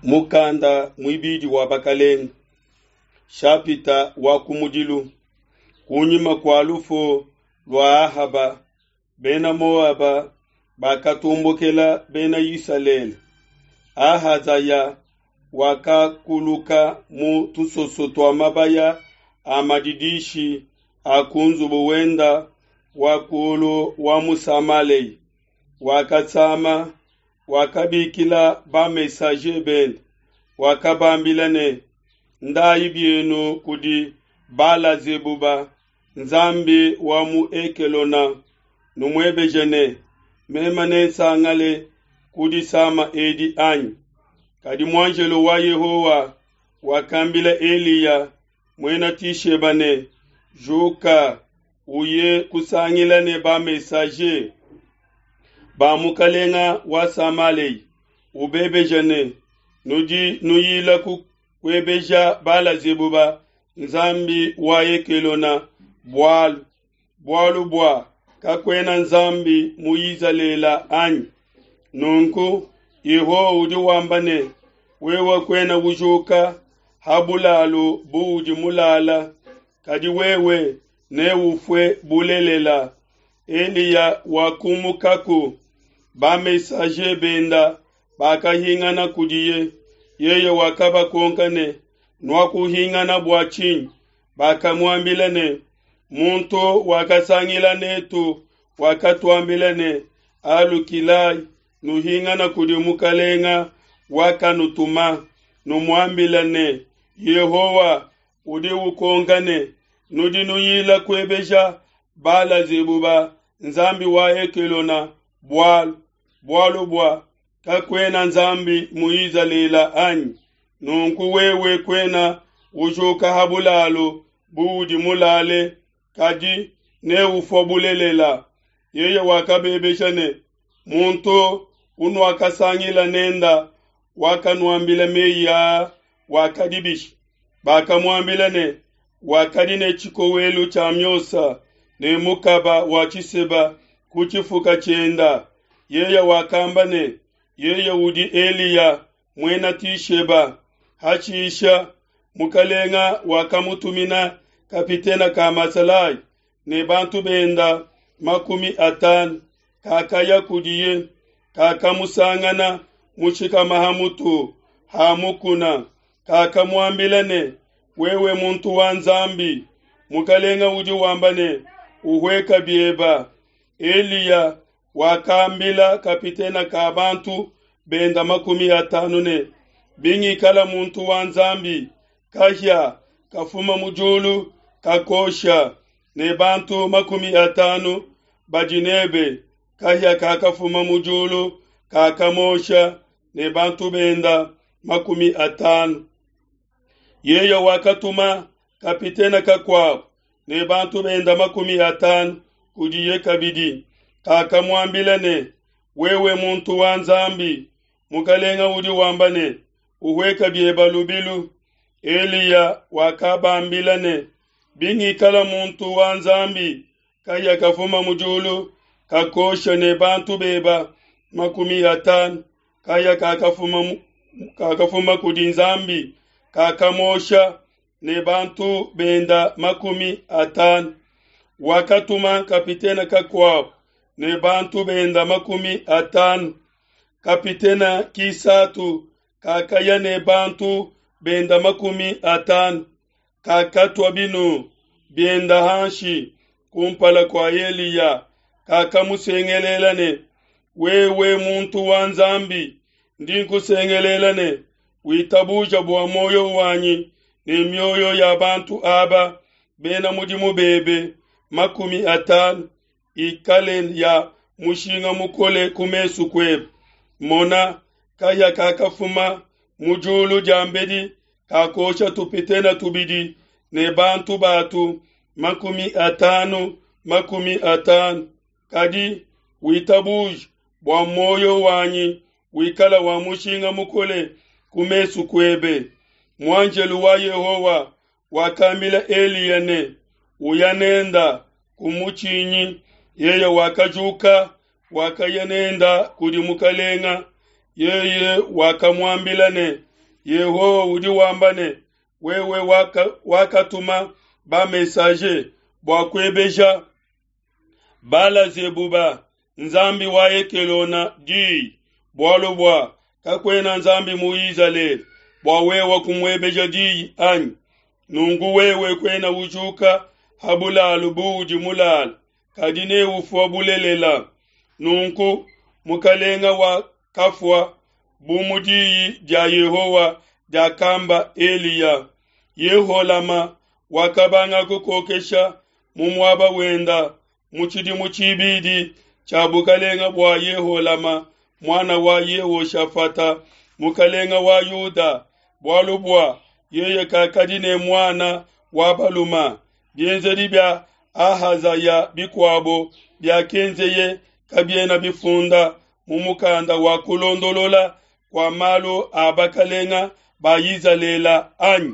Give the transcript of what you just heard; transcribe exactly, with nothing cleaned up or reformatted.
Mukanda muibidi wa Bakelenge, shapita wa kumudilu. Kunyima kua lufu lua Ahaba, Bena Moaba bakatombokela Bena Isalele. Ahazaya wakakuluka mu tusoso tua mabaya a madidishi a ku nzubu wenda wa kulu wa mu Samalea. Wakasama, wakabikila ba-messager bende, wakabambila ne, "Ndayi bienu kudi Bala-zebuba, nzambi wa mu Ekelona, numuebeje ne, meme nensangale ku disama edi anyi?" Kadi muanjelo wa Yehowa wakambila Eliya muena Tisheba ne, "Juka, uye kusangila ne ba-messager ba mukalenga wa Samalea, ubebeje ne, nudi nuyila kuebeja Bala-zebuba, nzambi wa Ekelona, bualu bualu bua kakuena nzambi mu Izalele anyi? Nunku Yehowa udi wamba ne, wewe kuena ujuka ha bulalu buudi mulala, kadi wewe neufue bulelela." Eliya wakumukaku, ba-messager benda bakahingana kudiye. Yeye wakabakonka ne, "Nuakuhingana bua tshinyi?" Bakamuambila ne, "Muntu wakasangila netu wakatuambila ne, Alukilai, nuhingana kudi mukalenga wakanutuma, numuambila ne, Yehowa udi ukonka ne, nudi nuyila kuebeja Bala-zebuba, nzambi wa Ekelona, bualu bualu bua kakuena nzambi mu Izalele anyi? Nunku wewe kuena ujuka ha bulalu buudi mulale, kadi neufue bulelela." Yeye wakabebesha ne, "Muntu unuakasangila nenda wakanuambila meyi aa wakadi bishi?" Bakamuambila ne, "Wakadi ne tshikowelu tshia miosa ne mukaba wa tshiseba ku tshifuka tshienda." Yeye wakamba ne, "Yeye udi Eliya muena Tisheba." Hashisha mukalenga wakamutumina kapitena ka masalayi ne bantu benda makumi atanu. Kakaya kudiye, kakamusangana mushikama ha mutu ha mukuna. Kakamuambila ne, "Wewe muntu wa Nzambi, mukalenga udi wamba ne, uhueka bieba." Eliya wakambila kapitena ka bantu benda makumi atanu ne, "Bingikala muntu wa Nzambi, kahia kafuma mu diulu kakosha ne bantu makumi atanu badi nebe." Kahia kakafuma mu diulu kakamosha ne bantu benda makumi atanu. Yeye wakatuma kapitena kakuabo ne bantu benda makumi atanu kudiye kabidi. Kakamuambila ne, "Wewe muntu wa Nzambi, mukalenga udi wamba ne, uhueka bieba lubilu." Eliya wakabambila ne, "Bingikala muntu wa Nzambi, kahia kafuma mu diulu kakosha ne bantu beba makumi atanu." Kahia kakafuma kakafuma kudi Nzambi kakamosha ne bantu benda makumi atanu. Wakatuma kapitena kakuabo ne bantu benda makumi atanu. Kapitena kisatu kakaya ne bantu benda makumi atanu. Kakatua binu bienda hanshi kumpala kua Eliya. Kakamusengelela ne, "Wewe muntu wa Nzambi, ndi nkusengelela ne, witabuja bua moyo wanyi ne mioyo ya bantu aba bena mudimu bebe makumi atanu ikale ya mushinga mukole ku mesu kuebe. Mona, kahia kakafuma mu diulu diambedi kakosha tupitena tubidi ne bantu batu makumi atanu makumi atanu. Kadi witabuja bua moyo wanyi wikala wa mushinga mukole ku mesu kuebe." Muanjelu wa Yehowa wakambila Eliya ne, "Uya nenda kumutshinyi." Yeye wakajuka, wakaya nenda kudi mukalenga. Yeye wakamuambila ne, Yehowa udi wamba ne, wewe waka, wakatuma ba-messager bua kuebeja Bala-Zebuba, nzambi wa Ekelona diyi, bualu bua kakuena nzambi mu Izalele bua wewe kumuebeja diyi anyi? Nunku wewe kuena ujuka ha bulalu buudi mulale, kadi neufue bulelela. Nunku mukalenga wakafua bu mu diyi dia Yehowa diakamba Eliya. Yeholama wakabanga kukokesha mu muaba wenda mu tshidimu tshibidi tshia bukalenga bua Yeholama muana wa Yehoshafata mukalenga wa Yuda, bualu bua yeye kakadi ne muana wa balume. Bienzedi bia Ahazaya bikuabo biakenzeye kabiena bifunda mu mukanda wa kulondolola kua malu a bakalenga ba Izalele anyi?